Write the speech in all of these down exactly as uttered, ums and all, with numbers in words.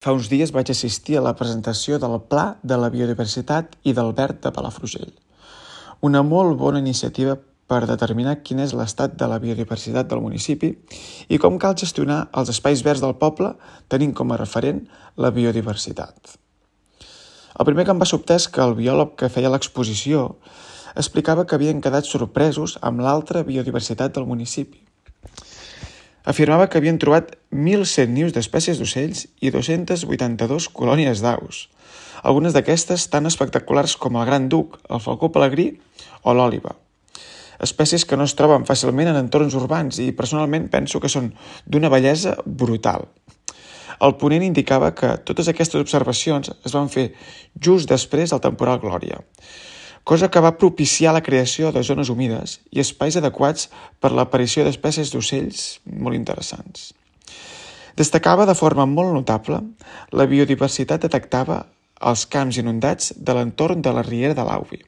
Fa uns dies vaig assistir a la presentació del Pla de la Biodiversitat i del Verd de Palafrugell. Una molt bona iniciativa per determinar quin és l'estat de la biodiversitat del municipi i com cal gestionar els espais verds del poble tenint com a referent la biodiversitat. El primer que em va sobtar és que el biòleg que feia l'exposició explicava que havien quedat sorpresos amb l'altra biodiversitat del municipi. Afirmava que havien trobat mil cent nius d'espècies d'ocells i dos-centes vuitanta-dues colònies d'aus, algunes d'aquestes tan espectaculars com el gran duc, el falcó pelegrí o l'òliba. Espècies que no es troben fàcilment en entorns urbans i personalment penso que són d'una bellesa brutal. El ponent indicava que totes aquestes observacions es van fer just després del temporal Glòria, cosa que va propiciar la creació de zones humides i espais adequats per l'aparició d'espècies d'ocells molt interessants. Destacava de forma molt notable la biodiversitat detectada als camps inundats de l'entorn de la riera de l'Auvi.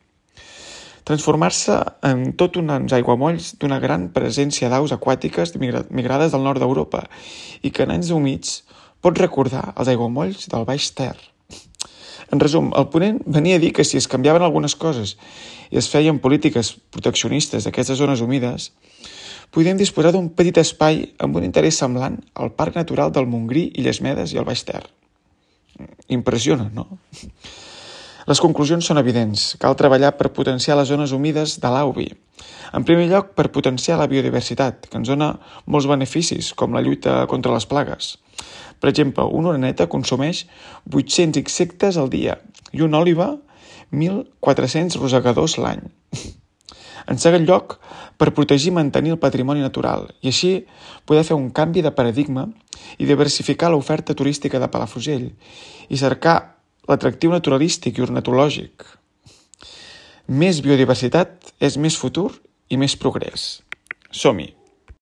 Transformar-se en tot uns aiguamolls d'una gran presència d'aus aquàtiques migrades del nord d'Europa i que en anys humits pot recordar els aiguamolls del Baix Ter. En resum, el ponent venia a dir que si es canviaven algunes coses i es feien polítiques proteccionistes d'aquestes zones humides, podíem disposar d'un petit espai amb un interès semblant al Parc Natural del Montgrí, Illes Medes i el Baix Ter. Impressiona, no? Les conclusions són evidents. Cal treballar per potenciar les zones humides de l'Auvi. En primer lloc, per potenciar la biodiversitat, que ens dona molts beneficis, com la lluita contra les plagues. Per exemple, una oreneta consumeix vuit-cents insectes al dia i una òliba mil quatre-cents rosegadors l'any. En segon lloc, per protegir i mantenir el patrimoni natural i així poder fer un canvi de paradigma i diversificar l'oferta turística de Palafrugell i cercar l'atractiu naturalístic i ornitològic. Més biodiversitat és més futur i més progrés. Som-hi!